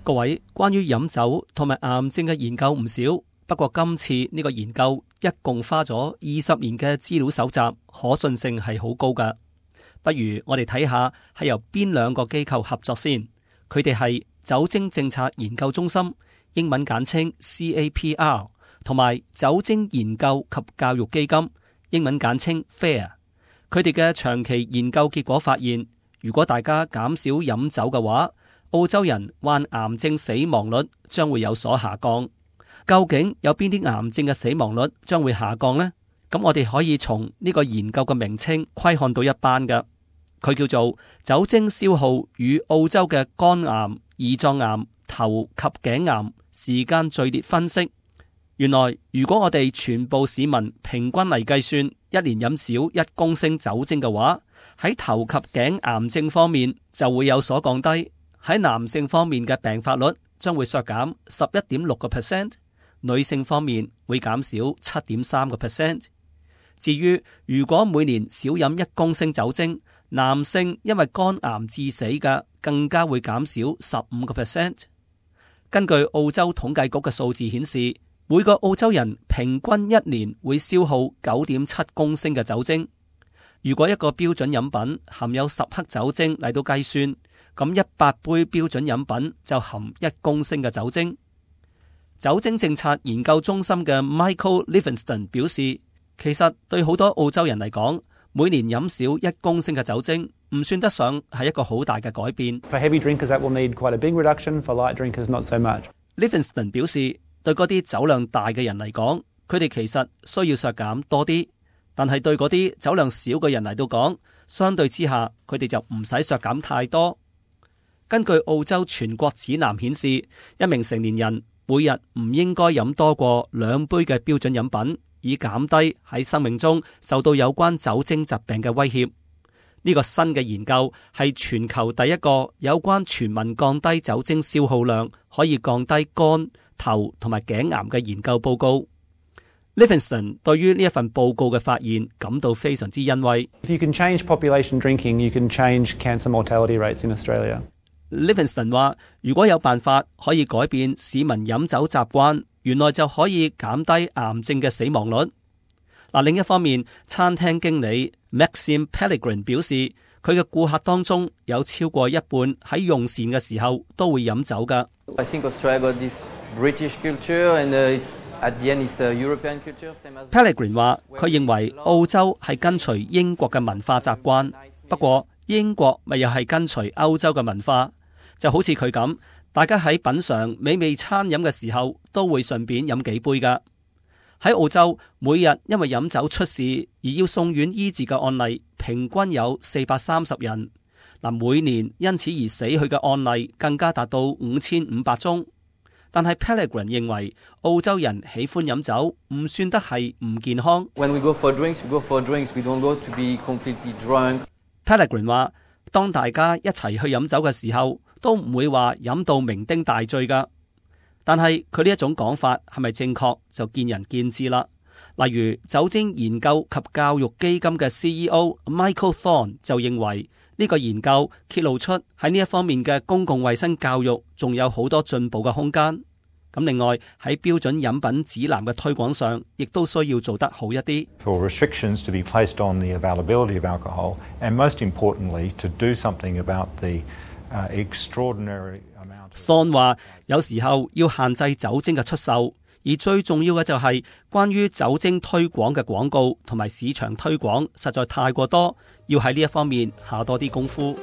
各位，關於飲酒同埋癌症嘅研究唔少，不過今次呢個研究一共花咗20年嘅資料搜集，可信性係好高㗎。不如我哋睇下係由邊兩個機構合作先。佢哋係酒精政策研究中心，英文簡稱 CAPR， 同埋酒精研究及教育基金，英文簡稱 FARE。佢哋嘅長期研究結果發現，如果大家減少飲酒嘅話，澳洲人患癌症死亡率將會有所下降。究竟有邊啲癌症嘅死亡率將會下降呢？咁我哋可以從呢個研究嘅名稱窺看到一斑嘅，佢叫做酒精消耗與澳洲嘅肝癌、胰臟癌、頭及頸癌時間序列分析。原來如果我哋全部市民平均嚟計算，一年飲少1公升酒精嘅話，喺頭及頸癌症方面就會有所降低。喺男性方面嘅病發率將會削減11.6%，女性方面會減少7.3%。至於如果每年少飲1公升酒精，男性因為肝癌致死嘅更加會減少15%。根據澳洲統計局嘅數字顯示，每個澳洲人平均一年會消耗9.7公升嘅酒精。如果一個標準飲品含有10克酒精嚟到計算，咁100杯標準飲品就含1公升嘅酒精。酒精政策研究中心嘅 Michael Livingston 表示，其實對好多澳洲人嚟講，每年飲少1公升嘅酒精唔算得上係一個好大嘅改變。For heavy drinkers, that will need quite a big reduction. For light drinkers, not so much. Livingston 表示，對嗰啲酒量大嘅人嚟講，佢哋其實需要削減多啲，但係對嗰啲酒量少嘅人嚟到講，相對之下，佢哋就唔使削減太多。根據澳洲全國指南顯示，一名成年人每日唔應該飲多過2杯嘅標準飲品，以減低喺生命中受到有關酒精疾病嘅威脅。呢個新嘅研究係全球第一個有關全民降低酒精消耗量可以降低肝、頭同埋頸癌嘅研究報告。Livingston 對於呢一份報告嘅發現感到非常之欣慰。If you can change population drinking, you can change cancer mortality rates in Australia. Livingston 話，如果有辦法可以改變市民飲酒習慣，原來就可以減低癌症嘅死亡率。另一方面，餐廳經理 Maxime Pellegrin 表示，佢嘅顧客當中有超過一半喺用膳嘅時候都會飲酒㗎。I think Australia got this British culture and it's at the end it's a European culture. Pellegrin 話，佢認為澳洲係跟隨英國嘅文化習慣，不過英國咪又係跟隨歐洲嘅文化，就好似佢咁，大家喺品嘗美味餐飲嘅時候都會順便飲幾杯㗎。喺澳洲，每日因為飲酒出事而要送院醫治嘅案例，平均有430人。每年因此而死去嘅案例更加達到5500宗。但係 Pellegrin 認為，澳洲人喜歡飲酒唔算得係唔健康。When we go for drinks, we go for drinks. We don't go to be completely drunk. Pellegrin 話，當大家一齊去飲酒嘅時候，都唔會話飲到酩酊大醉㗎。但係佢呢一種講法係咪正確，就見仁見智啦。例如酒精研究及教育基金嘅 CEO Michael Thorne 就認為，呢個研究揭露出喺呢一方面嘅公共衛生教育仲有好多進步嘅空間。咁另外喺標準飲品指南嘅推廣上，亦都需要做得好一啲。For restrictions to be placed on the availability of alcohol, and most importantly, to do something about the extraordinary amount. Thorne 話，有時候要限制酒精嘅出售，而最重要嘅就係關於酒精推廣嘅廣告同埋市場推廣實在太過多，要喺呢一方面下多啲功夫。